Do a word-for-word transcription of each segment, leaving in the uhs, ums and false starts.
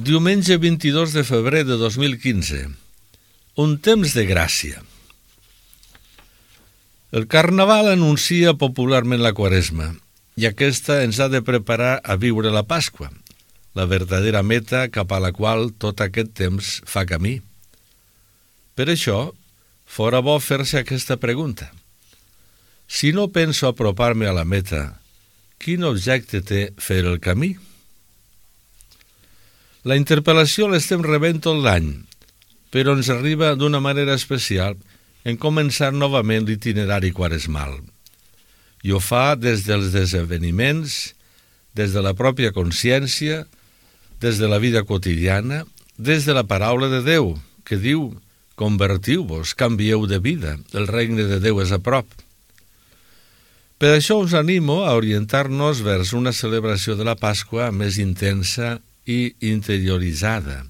Diumenge vint-i-dos de febrer de dos mil quinze. Un temps de gràcia. El Carnaval anuncia popularment la Quaresma i aquesta ens ha de preparar a viure la Pasqua, la verdadera meta cap a la qual tot aquest temps fa camí. Per això, fora bo fer-se aquesta pregunta. Si no penso apropar-me a la meta, quin objecte té fer el camí? La interpel·lació l'estem rebent tot l'any, però ens arriba d'una manera especial en començar novament l'itinerari quaresmal. I ho fa des dels esdeveniments, des de la pròpia consciència, des de la vida quotidiana, des de la paraula de Déu, que diu: convertiu-vos, canvieu de vida, el regne de Déu és a prop. Per això us animo a orientar-nos vers una celebració de la Pasqua més intensa i interioritzada,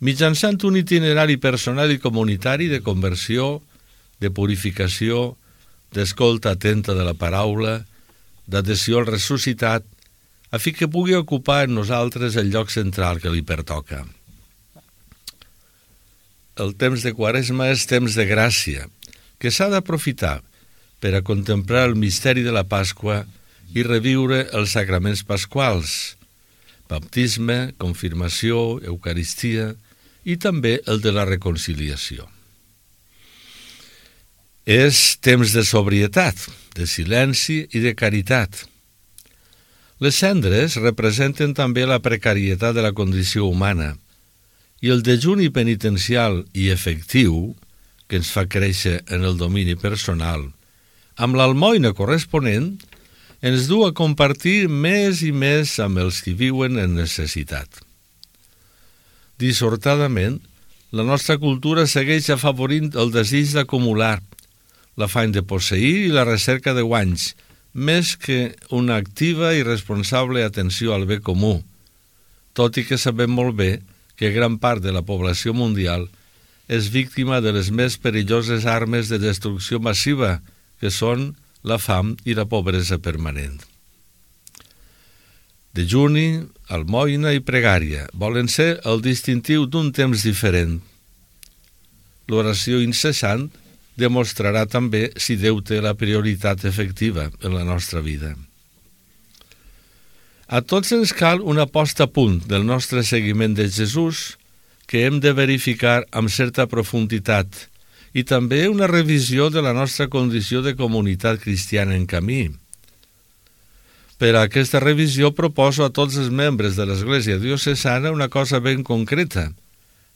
mitjançant un itinerari personal i comunitari de conversió, de purificació, d'escolta atenta de la paraula, d'adhesió al ressuscitat, a fi que pugui ocupar en nosaltres el lloc central que li pertoca. El temps de Quaresma és temps de gràcia, que s'ha d'aprofitar per a contemplar el misteri de la Pasqua i reviure els sacraments pasquals, baptisme, confirmació, eucaristia i també el de la reconciliació. És temps de sobrietat, de silenci i de caritat. Les cendres representen també la precarietat de la condició humana i el dejuni penitencial i efectiu, que ens fa créixer en el domini personal, amb l'almoina corresponent, ens du a compartir més i més amb els que viuen en necessitat. Dissortadament, la nostra cultura segueix afavorint el desig d'acumular, l'afany de posseir i la recerca de guanys, més que una activa i responsable atenció al bé comú, tot i que sabem molt bé que gran part de la població mundial és víctima de les més perilloses armes de destrucció massiva, que són la fam i la pobresa permanent. Dejuni, almoina i pregària volen ser el distintiu d'un temps diferent. L'oració incessant demostrarà també si Déu té la prioritat efectiva en la nostra vida. A tots ens cal una posta a punt del nostre seguiment de Jesús que hem de verificar amb certa profunditat i també una revisió de la nostra condició de comunitat cristiana en camí. Per a aquesta revisió proposo a tots els membres de l'Església Diocesana una cosa ben concreta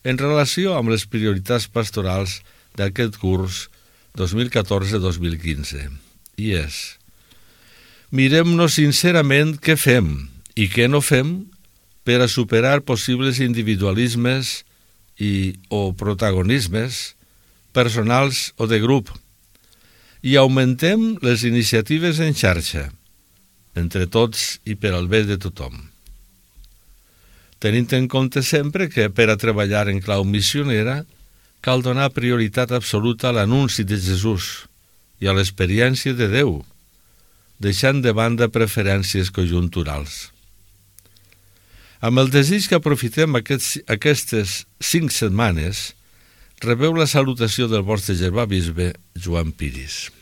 en relació amb les prioritats pastorals d'aquest curs dos mil catorze dos mil quinze. I és: mirem-nos sincerament què fem i què no fem per a superar possibles individualismes i o protagonismes personals o de grup, i augmentem les iniciatives en xarxa, entre tots i per al bé de tothom. Tenint en compte sempre que per a treballar en clau missionera cal donar prioritat absoluta a l'anunci de Jesús i a l'experiència de Déu, deixant de banda preferències conjunturals. Amb el desig que aprofitem aquests, aquestes cinc setmanes, rebeu la salutació del vostre germà bisbe Joan Piris.